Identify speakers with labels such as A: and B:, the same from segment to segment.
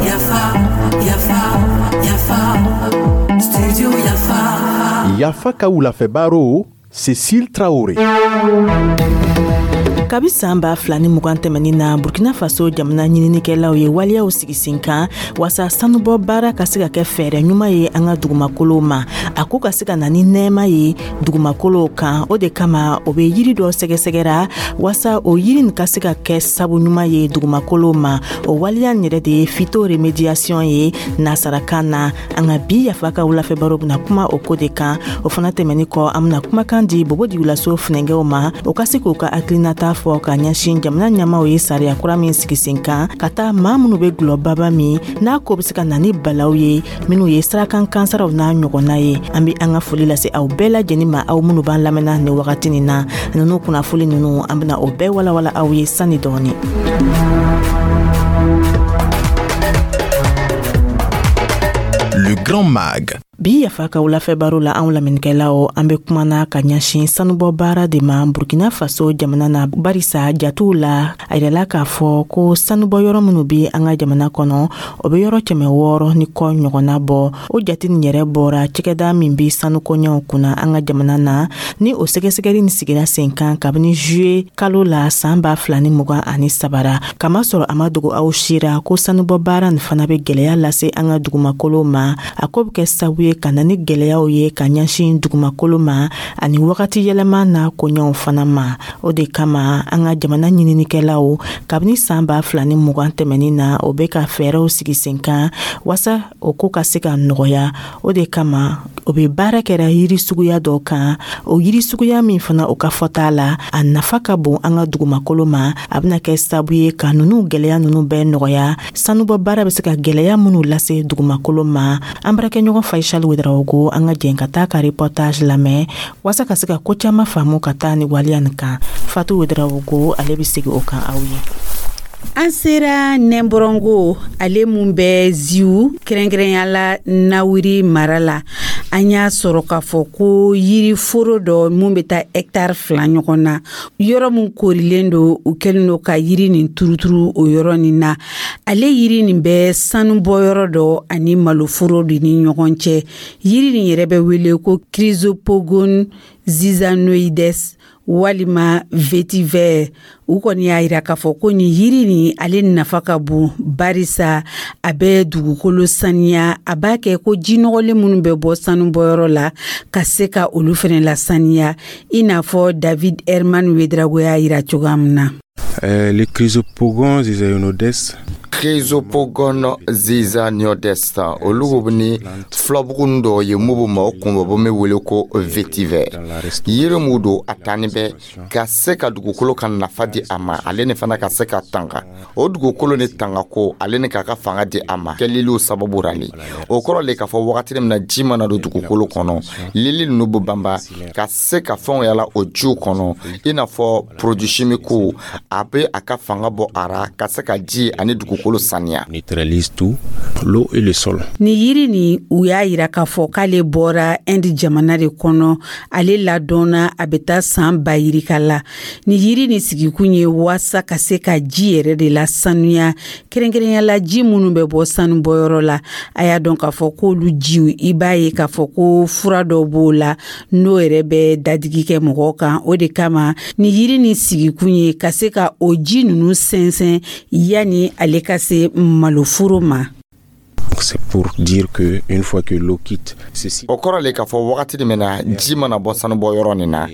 A: Yafa, Yafa, Yafa, Studio Yafa.
B: Yafa ka wulafɛ baro, Cécile Traoré.
C: Kabi saan 2020 tɛmɛnin na, Burkina Faso jamana ɲininikɛlaw ye waleyaw sigi sen kan waasa sanubɔ baara ka se ka kɛ fɛɛrɛ ɲuman ye an ka dugumakolow ma, a ko ka se ka na ni nɛɛma ye dugumakolow kan. O de kama, o be yiri dɔ sɛgɛsɛgɛra waasa o yiri nin ka se ka kɛ sabu ɲuman ye dugumakolow ma. O waleya nin yɛrɛ de ye phytoremédiation ye nasarakan na. An ka bi Yafa ka wulafɛ baro bena kuma o ko de kan. O fana tɛmɛni kɔ, an bena kumakan di Bobo Dioulasso funɛngɛw ma, o ka se k'u ka hakilinata fɔ ka ɲɛsin jamana ɲɛmaw ye sariya kura min sigi sen kan ka taa maa minnu bɛ gulɔ baba min n'a ko bɛ se ka na ni balaw ye, minnu ye sirakan kansaraw n'a ɲɔgɔnna ye. An bɛ an ka foli lase aw bɛɛ lajɛlen ma, aw minnu b'an lamɛnna nin wagati nin na. Ninnu kunnafoli ninnu, an bɛna o bɛɛ walawala aw ye sani dɔɔni.
B: Le Grand Mag.
C: Bi Yafa ka wulafɛ baro la, anw lamɛnnikɛlaw, an be kumana ka ɲɛsin sanubɔ baara de ma Burkina Faso jamana na, barisa jatiw la, a yirala k'a fɔ ko sanubɔ yɔrɔ minnu be an ka jamana kɔnɔ, o be yɔrɔ 600 ni kɔ ɲɔgɔnna bɔ. O jati nin yɛrɛ bɔra cɛkɛda min be sanukoɲɛw kunna an ka jamana na, ni o sɛgɛsɛgɛli nin sigira sen kan kabini juye kalo la saan 2023 ra. Kamasɔrɔ a ma dogo aw sira ko sanubɔ baara nin fana be gwɛlɛya lase an ka dugumakolo ma. A ko be kɛ sabu ye ka na ni gwɛlɛyaw ye ka ɲɛsin dugumakolo ma ani wagati yɛlɛma n'a koɲɛw fana ma. O de kama, an ka jamana ɲininikɛlaw, kabini saan 2020 tɛmɛnin na, o bɛ ka fɛɛrɛw sigi sen kan waasa o ko ka se ka nɔgɔya. O de kama, o bɛ baara kɛra yiri suguya dɔ kan, o yiri suguya min fana, o ka fɔta la, a nafa ka bon an ka dugumakolo ma. A bɛna kɛ sababu ye ka nunu gwɛlɛya nunu bɛɛ nɔgɔya, sanubɔ baara bɛ se ka gwɛlɛya minnu lase dugumakolo ma. An baarakɛɲɔgɔn Faisal Ouedraogo, an ka jɛn ka taa ka reportage lamɛn waasa ka se ka ko caman faamu ka taa ni waleya nin kan. Fatou Ouedraogo, ale bɛ segin o kan aw ye.
D: An sera Nɛnbɔrɔngo, ale mun bɛ Ziwu, kɛrɛnkɛrɛnya la Nawuri mara la. An y'a sɔrɔ k'a fɔ ko yiri foro dɔ mun bɛ taa hɛkitari 2 ɲɔgɔn na, yɔrɔ mun korilen don, u kɛlen don ka yiri nin turuturu o yɔrɔ nin na. Ale yiri nin bɛ sanu bɔyɔrɔ dɔ ani maloforo de ni ɲɔgɔn cɛ. Yiri nin yɛrɛ bɛ wele ko Chrysopogon zizanoides walima vetiver. U kɔni y'a yira k'a fɔ ko nin yiri nin, ale nafa ka bon, barisa a bɛ dugukolo saniya, a b'a kɛ ko jinɔgɔlen minnu bɛ bɔ sanubɔyɔrɔ la, ka se ka olu fɛnɛ lasaniya, i n'a fɔ David Herman Ouedraogo y'a yira cogoya min na.
E: Le Chrysopogon zizanioides.
F: Chrysopogon zizanioides, olu ni fulabugun dɔ ye mun b'o ma o kunbabɔ min wele ko vetiver. Yiri mun don, a tani bɛ ka se ka dugukolo ka nafa di a ma, ale ni fana ka se ka tanga o dugukolo ni tanga ko ale ni k'a ka fanga di a ma kɛliliw sababu ra le. O kɔrɔ le k'a fɔ wagati min na ji mana don dugukolo kɔnɔ, lili ninnu bɛ banba ka se ka fɛnw yala o jiw kɔnɔ, i n'a fɔ produit chimique. A bɛ a ka fanga bɔ a ra ka se ka ji ani dugukolo saniya.
E: Neutralise tout, l'eau et le sol.
D: Ni yiri nin, u y'a yira k'a fɔ k'ale bɔra Inde jamana de kɔnɔ. Ale ladɔnna, a bɛ taa san ba yirika la. Ni yiri nin sigikun ye waasa ka se ka ji yɛrɛ de la sanuya, kɛrɛnkɛrɛnya la ji minnu bɛ bɔ sanubɔyɔrɔ la. A y'a dɔn k'a fɔ k'olu jiw, i b'a ye k'a fɔ ko fura dɔw b'o la, n'o yɛrɛ bɛ dadigi kɛ mɔgɔw kan. O de kama, ni yiri nin sigikun ye ka se ka o ji ninnu sɛnsɛn yanni ale ka se maloforo ma.
E: C'est pour dire que une fois que l'eau quitte ceci.
F: O kɔrɔ le k'a fɔ wagati min na ji mana bɔ sanubɔ yɔrɔ nin na,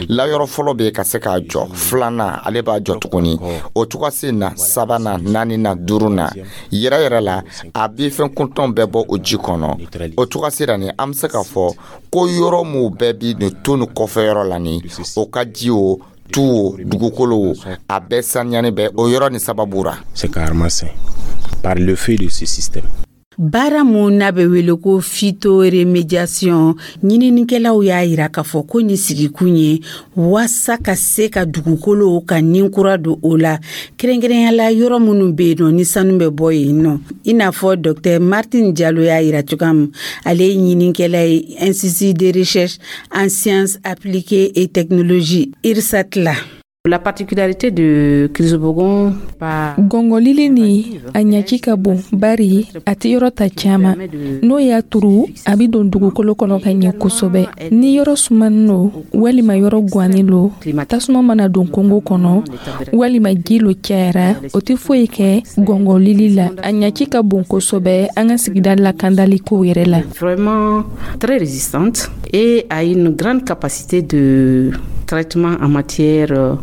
F: layɔrɔ fɔlɔ bɛ ka se k'a jɔ, filanan ale b'a jɔ tuguni, o cogoya sen na, sabanan, naaninan, duurunan, yɛrɛ yɛrɛ la, a bɛ fɛn kuntanw bɛɛ bɔ o ji kɔnɔ. O cogoya sera nin, an bɛ se k'a fɔ ko yɔrɔ mun bɛɛ bi nin to nin kɔfɛ yɔrɔ la nin, o ka ji o tu o dugukolo o, a bɛɛ saniyani bɛ o yɔrɔ nin sababu ra.
E: C'est carrément sain par le fait de ce système.
D: Baara mun n'a bɛ wele ko phytoremédiation, ɲininikɛlaw y'a yira k'a fɔ ko nin sigikun ye waasa ka se ka dugukolo ka nin kura don o la, kɛrɛnkɛrɛnya la yɔrɔ minnu bɛ yen nɔ ni sanu bɛ bɔ yen nɔ, i n'a fɔ Dr Martin Jalo y'a yira cogoya min. Ale ye ɲininikɛla ye Institut de recherche en sciences appliquées et technologie, IRSAT la.
G: La particularité de Chrysopogon.
H: Gɔngɔlili ni a ɲaci ka bon, bari a tɛ yɔrɔ ta caman. N'o y'a turu, a bɛ don dugukolo kɔnɔ ka ɲɛ kosɛbɛ. Ni yɔrɔ sumanin lo walima yɔrɔ gwannen lo, tasuma mana don kungo kɔnɔ walima ji lo cayara, o tɛ foyi kɛ gɔngɔlili la. A ɲaci ka bon kosɛbɛ an ka sigida lakandali kow yɛrɛ la.
G: Vraiment très résistante et a une grande capacité de traitement en matière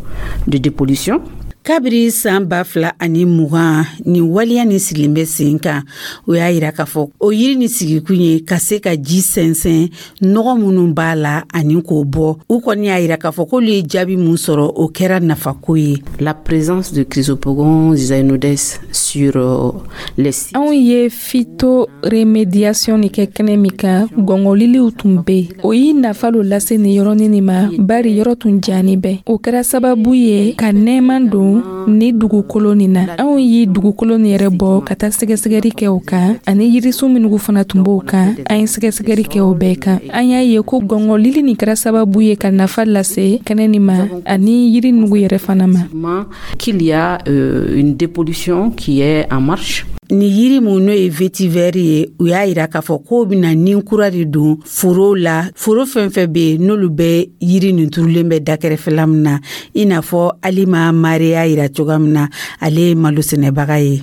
G: de dépollution.
D: Kabiri san 2020, nin waleya nin sigilen bɛ sen kan. O y'a yira k'a fɔ o yiri ni sigikun ye ka se ka ji sɛnsɛn, nɔgɔ minnu b'a la ani k'o bɔ. U kɔni y'a yira k'a fɔ k'olu ye jaabi mun sɔrɔ, o kɛra nafako ye.
G: La présence de Chrysopogon zizanioides sur les sites.
H: Anw ye phytoremédiation ni kɛ kɛnɛ min kan, gɔngɔliliw tun bɛ yen. O y'i nafa lo lase nin yɔrɔnin nin ma, bari yɔrɔ tun jani bɛ. O kɛra sababu ye ka nɛɛman don ni dugukolo nin na. Anw ye dugukolo nin yɛrɛ bɔ ka taa sɛgɛsɛgɛli kɛ o kan, ani yirisun minnu fana tun b'o kan, an ye sɛgɛsɛgɛli kɛ o bɛɛ kan. An y'a ye ko gɔngɔlili nin kɛra sababu ye ka nafa lase kɛnɛ nin ma ani yiri nugu yɛrɛ fana ma.
G: Qu'il y a une dépollution qui est en marche.
D: Ni yiri mun n'o ye vétiver ye, u y'a yira k'a fɔ k'o bɛna nin kura de don foro la. Foro fɛn fɛn bɛ yen, n'olu bɛ yiri nin turulen bɛ dakɛrɛfɛla min na, i n'a fɔ Alima Mare y'a yira cogoya min na, ale ye malo sɛnɛbaga ye.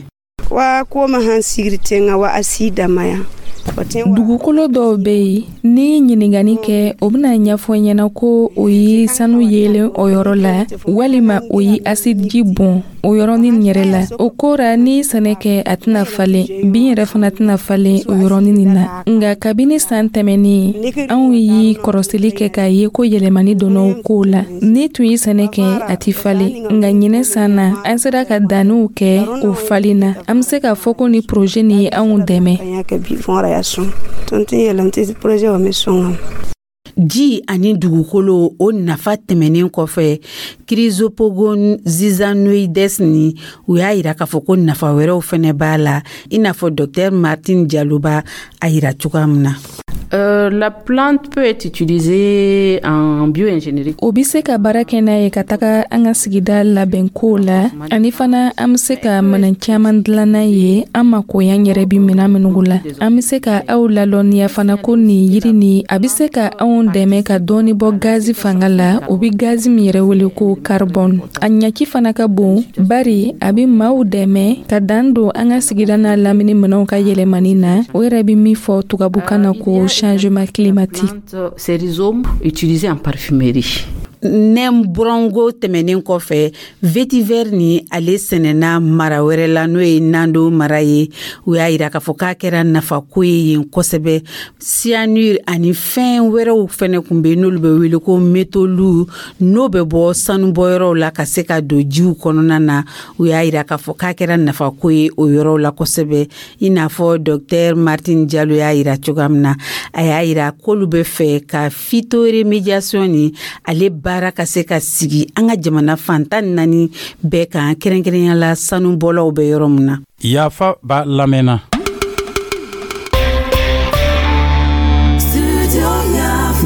I: Wa ko ma han sigiri tenga wa asida maya.
H: Dugukolo dɔw bɛ yen, ni ɲininkali kɛ, o bɛna ɲɛfɔ ɲɛna ko o ye sanu yelen o yɔrɔ la, walima o ye asidiji bɔn o yɔrɔnin yɛrɛ la. O ko ra, ni sɛnɛ kɛ, a tɛna falen, bin yɛrɛ fana tɛna falen o yɔrɔnin nin na. Nka kabini san tɛmɛnen, anw ye kɔrɔsili kɛ k'a ye ko yɛlɛmani donna o kow la. Ni tun ye sɛnɛ kɛ, a tɛ falen. Nka ɲinɛ san na, an sera ka danniw kɛ, o falen na. An bɛ se k'a fɔ ko ni projet nin ye anw dɛmɛ.
I: Tonton yɛlɛm tɛ projet wa mi sɔn.
D: Ji ani dugukolo, o nafa tɛmɛnen kɔfɛ, Chrysopogon zizanioides ni, u y'a yira k'a fɔ ko nafa wɛrɛw fɛnɛ b'a la, i n'a fɔ Dr Martin Jaloba a yira cogoya min na.
G: La plante peut être utilisée en bio-ingénierie.
H: O bɛ se ka baara kɛ n'a ye ka taga an ka sigida labɛnkow la, ani fana an bɛ se ka minɛn caman dilan n'a ye, an makoyan yɛrɛ bi minɛn minnu la. An bɛ se ka aw lalɔnniya fana ko nin yiri nin, a bɛ se ka anw dɛmɛ ka dɔɔni bɔ gazi fanga la, o bɛ gazi min yɛrɛ wele ko carbone. A ɲaci fana ka bon, bari a bɛ maaw dɛmɛ ka dan don an ka sigida n'a lamini minɛnw ka yɛlɛmani na, o yɛrɛ bɛ min fɔ tubabukan na ko changement climatique.
G: Ces rhizomes utilisés en parfumerie.
D: Nɛnburango tɛmɛnen kɔfɛ, vétiver ni ale sɛnɛna mara wɛrɛ la, n'o ye Nando mara ye. U y'a yira k'a fɔ k'a kɛra nafako ye yen kosɛbɛ. Cyanure ani fɛn wɛrɛw fɛnɛ kun be, n'olu bɛ wele ko méthyllu, n'o bɛ bɔ sanubɔyɔrɔw la ka se ka don jiw kɔnɔna na. U y'a yira k'a fɔ k'a kɛra nafako ye o yɔrɔw la kosɛbɛ, i n'a fɔ Dr Martin Jalo y'a yira cogoya min na. A y'a yira k'olu bɛ fɛ ka phytoremédiation ni ale baara ka se ka sigi an ka jamana fan 14 bɛɛ kan, kɛrɛnkɛrɛnya la sanubɔlaw bɛ yɔrɔ min na.
J: Yafa b'a lamɛnna.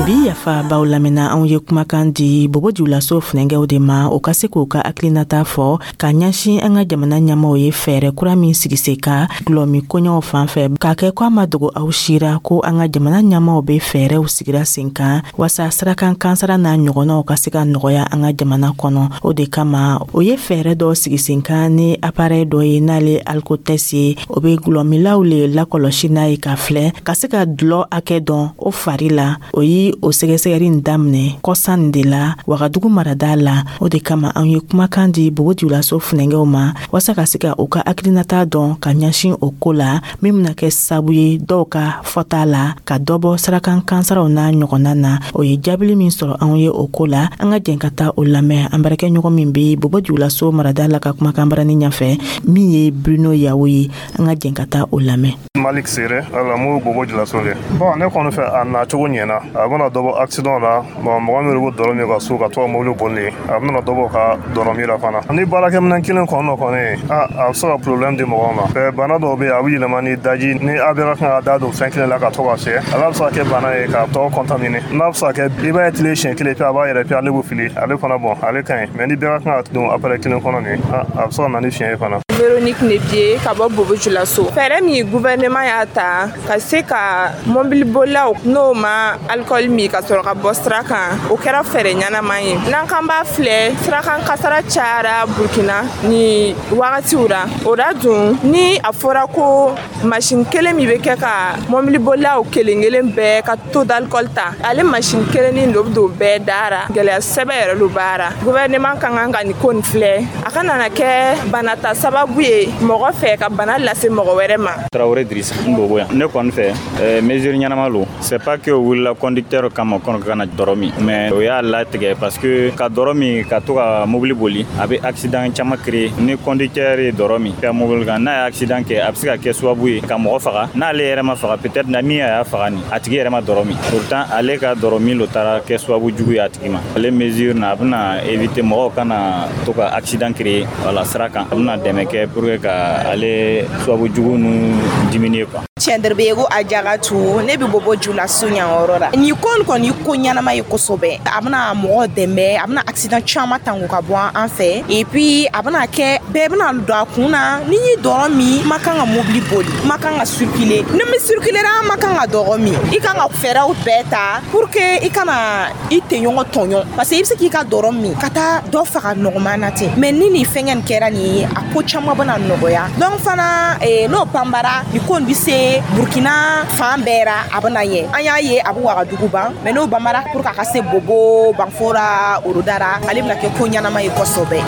C: Bi Yafa b'aw lamɛnna, anw ye kumakan di Bobo Julaso funɛngɛw de ma, o ka se k'u ka hakilinata fɔ ka ɲɛsin an ka jamana ɲɛmaw ye, fɛɛrɛ kura min sigi sen kan gulɔmi koɲɛw fan fɛ. K'a kɛ ko a ma dogo aw sira ko an ka jamana ɲɛmaw be fɛɛrɛw sigira sen kan waasa sirakan kansara n'a ɲɔgɔnnaw ka se ka nɔgɔya an ka jamana kɔnɔ. O de kama, o ye fɛɛrɛ dɔ sigi sen kan ni appareil dɔ ye, n'ale alcotest ye. O be gulɔmilaw le lakɔlɔsi n'a ye, ka filɛ ka se ka dulɔ hakɛ dɔn o fari la. O ye o sɛgɛsɛgɛli nin daminɛ kɔsan nin de la Wagadugu marada la. O de kama, an ye kumakan di Bobo Julaso funɛngɛw ma waasa ka se ka u ka hakilinata dɔn ka ɲɛsin o ko la, min bena kɛ sabu ye dɔw ka fɔta la ka dɔ bɔ sirakan kansaraw n'a ɲɔgɔnna na. O ye jaabili min sɔrɔ anw ye o ko la, an ka jɛn ka taa o lamɛn an baarakɛɲɔgɔn min be Bobo Julaso marada la ka kumakan barani ɲɛfɛ, min ye Bruno Yawo ye. An ka jɛn ka taa o lamɛn.
K: Malik Sere ala mu Bobo Julaso le. Bon, ne kɔni fɛ, a nacogo ɲɛna. A bɛna Bɛna dɔ bɔ accident la. Bon, mɔgɔ minnu bɛ dɔrɔ min ka so ka to ka mobili boli, a bɛna dɔ bɔ ka dɔrɔ min la fana. Ni baarakɛminɛn kelen kɔnɔ kɔni, a bɛ se ka problème di mɔgɔw ma. Bana dɔw bɛ yen, a bɛ yɛlɛma ni daji. Ni a bɛɛ ka kan ka da don fɛn kelen la ka to ka fiyɛ, ala bɛ se ka kɛ bana ye ka tɔ contaminer. N'a bɛ se ka kɛ, i b'a ye tile siɲɛ kelen pe, a b'a yɛrɛ pe, ale b'o fili, ale fana. Bon, ale ka ɲi, mais ni bɛɛ ka kan ka don appareil kelen kɔnɔ nin, a bɛ se ka na ni fiɲɛ ye fana.
L: Véronique Nebier ka bɔ Bobo Julaso. Fɛɛrɛ min gouvernement y'a ta ka se ka mɔbilibolilaw n'o ma alikɔli min ka sɔrɔ ka bɔ sira kan, o kɛra fɛɛrɛ ɲɛnama ye. N'an kan b'a filɛ, sirakan kasara cayara Burkina ni wagatiw ra. O ra dun, ni a fɔra ko masini kelen min bɛ kɛ ka mɔbilibolilaw kelen kelen bɛɛ ka taux d'alcool ta, ale masini kelennin lo bɛ don bɛɛ dara, gɛlɛya sɛbɛ yɛrɛ lo b'ara. Gouvernement ka kan ka nin ko nin filɛ, a kana na kɛ bana ta sababu ye mɔgɔ fɛ ka bana lase mɔgɔ wɛrɛ ma.
M: Tarawele Dirisa, n Bobo yan. Ne kɔni fɛ, mesure ɲɛnama lo. C'est pas que o wulila conducteur kama kɔnɔ ka na dɔrɔ min, mais o y'a latigɛ parce que ka dɔrɔ min ka to ka mobili boli, a bɛ accident caman créer. Ni conducteur ye dɔrɔ min ka mobili kan, n'a ye accident kɛ, a bɛ se ka kɛ sababu ye ka mɔgɔ faga. N'ale yɛrɛ ma faga, peut-être na min y'a faga ni a tigi yɛrɛ ma dɔrɔ min, pourtant ale ka dɔrɔ min lo taara kɛ sababu jugu ye a tigi ma. Ale mesure na, a bɛna éviter mɔgɔw kana to ka accident créer, wala sira kan. A bɛna dɛmɛ kɛ pour que ka ale sababu jugu nu diminuer, quoi.
N: Cɛnderbego a jagatu, ne bɛ Bobo Julaso ɲanyɔrɔ la. Nin ko nin kɔni, ko ɲɛnama ye kosɛbɛ. A bɛna mɔgɔ dɛmɛ, a bɛna accident caman tango ka bɔ an fɛ. Et puis a bɛna kɛ bɛɛ bɛna don a kun na, ni y'i dɔrɔ min ma kan ka mobili boli, ma kan ka circuler, ni mi circuler, ma kan ka dɔgɔ min, i kan ka fɛɛrɛw bɛɛ ta pour que i kana i tɛɲɔgɔn tɔɲɔ, parce que i bɛ se k'i ka dɔrɔ min ka taa dɔ faga nɔgɔman na ten. Mais ni nin fɛngɛ nin kɛra nin ye, a ko caman bɛna nɔgɔya. Donc fana, n'o panbara, nin ko nin bɛ se Burkina fan bɛɛ ra, a bɛna ɲɛ. An y'a ye a bɛ Wagadugu ban, mais n'o banbara pour que a ka se Bobo, Banfora, Orodara, ale bɛna kɛ ko ɲɛnama ye kosɛbɛ.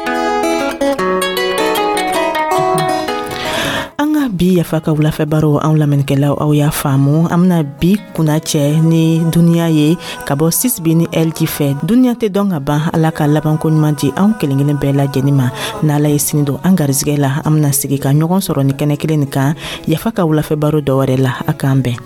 C: An ka bi Yafa ka wulafɛ baro, anw lamɛnnikɛlaw, aw y'a faamu, an bena bi kunna cɛ ni duniɲa ye ka bɔ 6B ni LG fɛ. Duniɲa tɛ dɔn ka ban. Ala ka labanko ɲuman di anw kelen kelen bɛɛ lajɛlen ma. N'Ala ye sini don an garizigɛ la, an bena sigi ka ɲɔgɔn sɔrɔ ni kɛnɛ kelen nin kan, Yafa ka wulafɛ baro dɔ wɛrɛ la. A k'an bɛn.